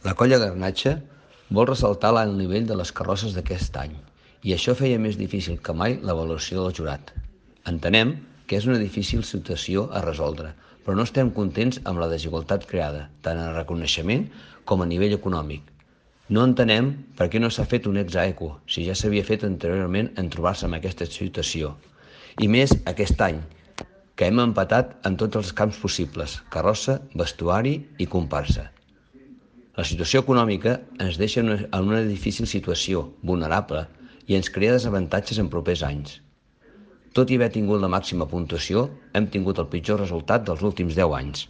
La colla Garnatxa vol ressaltar l'alt nivell de les carrosses d'aquest any i això feia més difícil que mai l'avaluació del jurat. Entenem que és una difícil situació a resoldre, però no estem contents amb la desigualtat creada, tant en reconeixement com a nivell econòmic. No entenem per què no s'ha fet un ex aequo, si ja s'havia fet anteriorment en trobar-se en aquesta situació. I més aquest any, que hem empatat en tots els camps possibles, carrossa, vestuari i comparsa. La situació econòmica ens deixa en una difícil situació, vulnerable, i ens crea desavantatges en propers anys. Tot i haver tingut la màxima puntuació, hem tingut el pitjor resultat dels últims 10 anys.